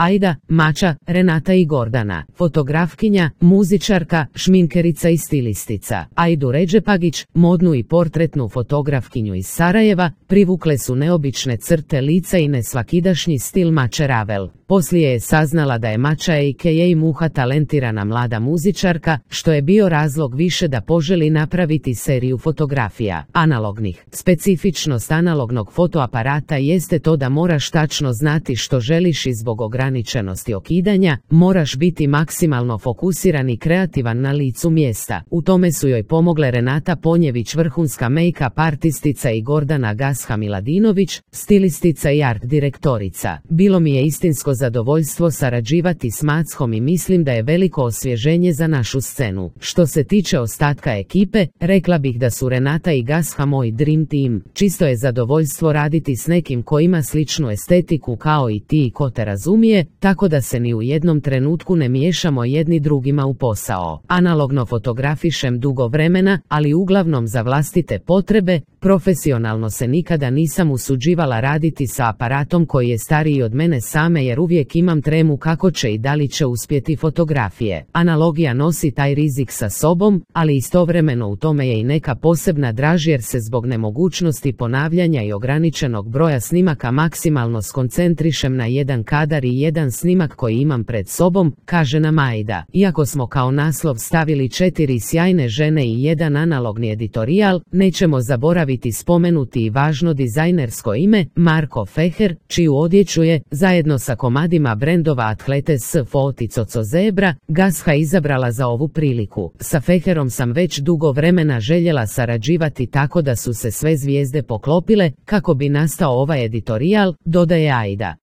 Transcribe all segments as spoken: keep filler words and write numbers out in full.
Aida, Mača, Renata i Gordana, fotografkinja, muzičarka, šminkerica i stilistica. Aidu Redžepagić, modnu i portretnu fotografkinju iz Sarajeva, privukle su neobične crte lica i nesvakidašnji stil Mače Ravel. Poslije je saznala da je Mača a k a. Muha talentirana mlada muzičarka, što je bio razlog više da poželi napraviti seriju fotografija, analognih. Specifičnost analognog fotoaparata jeste to da moraš tačno znati što želiš i zbog ograničenosti okidanja, moraš biti maksimalno fokusiran i kreativan na licu mjesta. U tome su joj pomogle Renata Ponjević, vrhunska make-up artistica, i Gordana Gasha Miladinović, stilistica i art direktorica. Bilo mi je istinsko zadovoljstvo sarađivati s Macom i mislim da je veliko osvježenje za našu scenu. Što se tiče ostatka ekipe, rekla bih da su Renata i Gasha moj dream team. Čisto je zadovoljstvo raditi s nekim ko ima sličnu estetiku kao i ti i ko te razumije, tako da se ni u jednom trenutku ne miješamo jedni drugima u posao. Analogno fotografišem dugo vremena, ali uglavnom za vlastite potrebe. Profesionalno se nikada nisam usuđivala raditi sa aparatom koji je stariji od mene same, jer uvijek imam tremu kako će i da li će uspjeti fotografije. Analogija nosi taj rizik sa sobom, ali istovremeno u tome je i neka posebna draž, jer se zbog nemogućnosti ponavljanja i ograničenog broja snimaka maksimalno skoncentrišem na jedan kadar i jedan snimak koji imam pred sobom, kaže nam Aida. Iako smo kao naslov stavili četiri sjajne žene i jedan analogni editorijal, nećemo zaboraviti spomenuti i važno dizajnersko ime, Marko Feher, čiju odjeću je, zajedno sa komadima brendova Atlete s Foti Coco Zebra, Gasha izabrala za ovu priliku. Sa Feherom sam već dugo vremena željela sarađivati, tako da su se sve zvijezde poklopile kako bi nastao ovaj editorijal, dodaje Aida.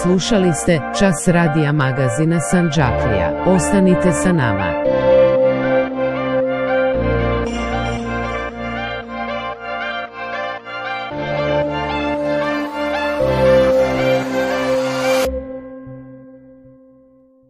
Slušali ste Čas radija magazina Sandžaklija. Ostanite sa nama.